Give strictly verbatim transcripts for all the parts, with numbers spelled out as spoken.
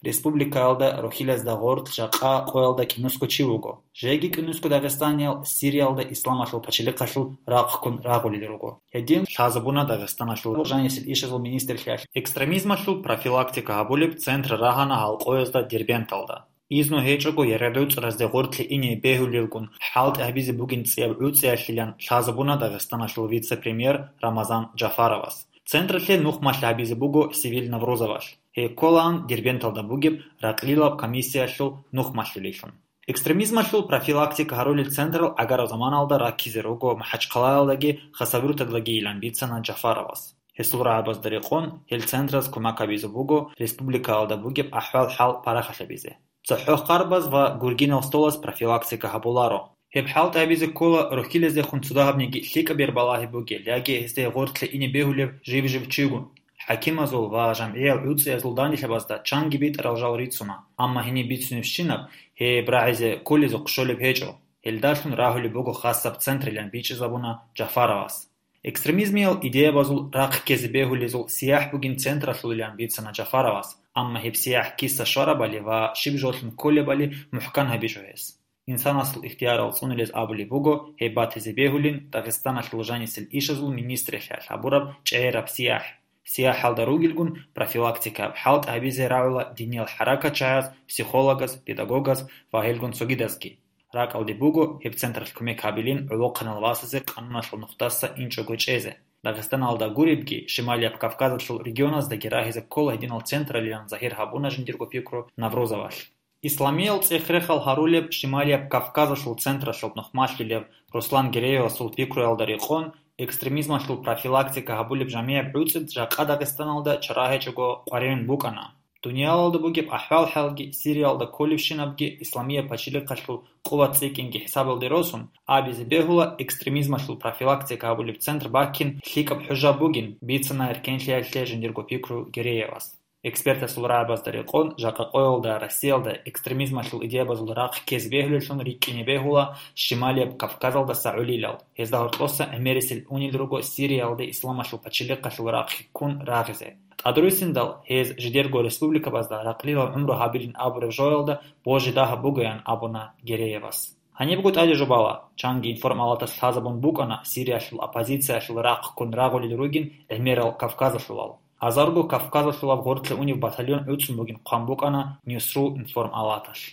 Республикаялда рухьилазда гъорлъ жакъа къоялда кӀинусго чи вуго. Жеги кӀинусго дагъистаниял Сириялда исламалъул пачалихъалъул рахъ ккун рагъулел руго. Гьедин лъазабуна Дагъистаналъул жанисел ишазул министрлъиялъ. Экстремизмалъул профилактика гьабулеб центр рагьана гьал къоязда Дербенталда. Изну гьечӀого ЯрагӀуцӀразде гъорлъе ине бегьулелгун хӀалтӀи гьабизе бугин цӀияб гӀуцӀиялъилан лъазабуна Дагъистаналъул вице-премьер Рамазан Джафаровас. Централъе нухмалъи гьабизе буго Севиль Наврузовалъ. Гьей кколаан Дербенталда бугеб ракълилаб комиссиялъул нухмалъулелъун. Экстремизмалъул профилактика гьарулел централ гӀагараб заманалда раккизе руго МахӀачхъалаялдаги Хасавюрталдаги илан бицана Джафаровас. Гьесул рагӀабазда рекъон гьел центраз кумек гьабизе буго республикаялда бугеб ахӀвал-хӀал парахалъабизе. ЦохӀо-Харбаз ва Гургинал столаз профилактика гьабуларо. Гьеб хӀалтӀи гьабизе ккола рухьилаздехун цо дагьабниги лъикӀаб бер балагьи бугел яги гьезде гъорлъе ине бегьулев жиб-жиб чигун. ХӀакимазул ва жамгӀиял гӀуцӀиязул данделъабазда чанги битӀарал жал рицуна, амма гьениб бицунебщинаб гьеб рагӀизе кколезухъ щолеб гьечӀо. Гьелдалъун рагьулеб буго хасаб центрилан бичӀчӀизабуна Джафаровас. Экстремизмиял идеябазул рахъ ккезе бегьулезул сияхӀ бугин централъулилан бицана Джафаровас, амма гьеб сияхӀ киса щварабали ва щиб жолъун кколебали мухӀкан гьабичӀо гьес. Инсанасул ихтиярал цӀунулез абулеб буго гьеб батизе бегьулин Дагъистаналъул жанисел ишазул министралъиялъ гьабураб чӀегӀераб сияхӀ. СияхӀалда ругелгун профилактикаяб хӀалтӀи гьабизе рагӀула диниял хӀаракатчагӀаз, психологаз, педагогаз ва гьелгун цогидазги. РакӀалде буго гьеб централъ кумек гьабилин гӀолохъанал васазе къануналъул нухдаса инчӀого чӀезе. Дагъистаналда гуребги, Шималияб Кавказалъул регионаздаги рагьизе ккола гьединал централилан загьир гьабуна жиндирго пикру Наврузовалъ. Исламиял цӀех-рехал гьарулеб Шималияб Кавказалъул централъул нухмалъулев Руслан Гереевасул пикруялда рекъон, экстремизмалъул профилактика гьабулеб жамигӀаб гӀуцӀид жакъа Дагъистаналда чара гьечӀого къваригӀун букӀана. Дуниялалда бугеб ахӀвал-хӀалги, Сириялда кколебщинабги исламияб пачалихъалъул къуват цӀикӀкӀинги хӀисабалде росун, абизе бегьула экстремизмалъул профилактика гьабулеб центр баккин лъикӀаб хӀужа бугин, бицана эркенлъиялъе жиндирго пикру Гереевас. Экспертасул рагӀабазда рекъон, жакъа къоялда Россиялда экстремизмалъул идеябазул рахъ ккезе бегьулеллъун рикӀкӀине бегьула Шималияб Кавказалдаса гӀолилал. Гьезда гьоркьоса гӀемерисел унел руго Сириялде исламалъул пачалихъалъул рахъ ккун рагъизе. ТӀадруссиндал гьез жидерго республикабазда ракълилал гӀумру гьабилин абураб жоялда божи дагьаб бугоян абуна Гереевас. Гьанибго тӀаде жубала, чанги информалатас лъазабун букӀана Сириялъул оппозициялъул рахъ ккун рагъулел ругин гӀемерал Кавказалъулал. Азарго Кавказалъулаб гъорлъе унев батальон гӀуцӀун бугин хъван букӀана Ньюсру информалаталъ.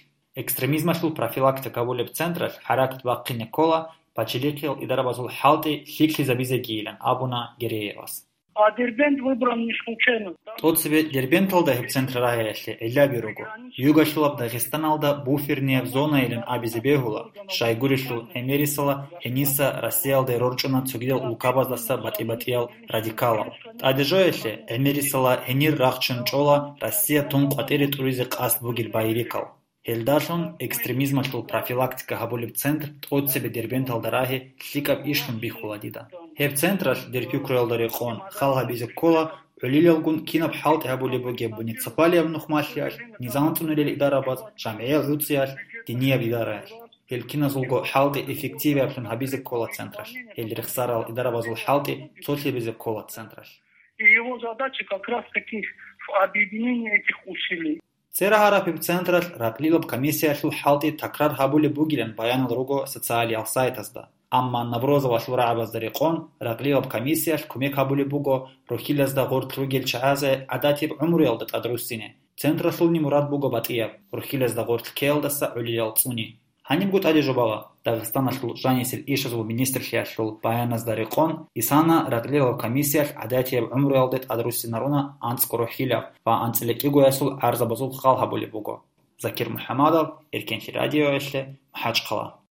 Экстремизмалъул профилактика гьабулеб централъ хӀаракат бахъине ккола пачалихъиял идарабазул хӀалтӀи лъикӀлъизабизегийилан абуна Гереевас. А Дербент выбран не случайно. ТӀоцебе Дербенталда гьеб центр рагьаялъе гӀиллаби руго. Югалъулаб Дагъистаналда буфернияб зонайилан абизе бегьула, щайгурелъул гӀемерисела гьениса Россиялде рорчӀуна цогидал улкабаздаса батӀи-батӀиял радикалал. ТӀадежоялъе гӀемерисела гьенир рахчун чӀола Россия тун къватӀире тӀуризе къасд бугел байрикал. Гьелдалъун экстремизмалъул профилактика гьабулеб центр тӀоцебе Дербенталда рагьи лъикӀаб ишлъун бихьула дида. Гьеб централъ дир пикруялда рекъон хал гьабизе ккола гӀолилалгун кинаб хӀалтӀи гьабулеб бугеб муниципалияб нухмалъиялъ, низам цӀунарел идарабаз, жамгӀиял гӀуцӀиялъ, динияб идараялъ. Гьел киназулго хӀалтӀи эффективиаблъун гьабизе ккола централъ. Гьел рехсарал идарабазул хӀалтӀи цолъи гьабизе ккола централъ. И его задача как раз таки в объединении этих усилий. ЦӀерагьараб гьеб централъ ракълилаб комиссиялъул хӀалтӀи такрар гьабулеб бугилан баянал руго социалиял сайтазда. Амма Наврозовалъул рагӀабазда рекъон, ракълилаб комиссиялъ кумек гьабулеб буго рухьилазда гъорлъ ругел чагӀазе гӀадатиб гӀумруялда тӀадруссине. Централъулни мурад буго батӀияб, рухьилазда гъорлъ ккеялдаса гӀолилал цӀуни. Гьанибго тӀаде жубала, Дагъистаналъул жанисел ишазул министрлъиялъул баяназда рекъон, исана ракълилаб комиссиялъ гӀадатияб гӀумруялде тӀадруссинаруна анцӀго рухьилаб ва анцӀила кӀигоясул гӀарзабазул хал гьабулеб буго. Закир МухӀамадов, Эркенлъи радиоялъе, МахӀачхъала.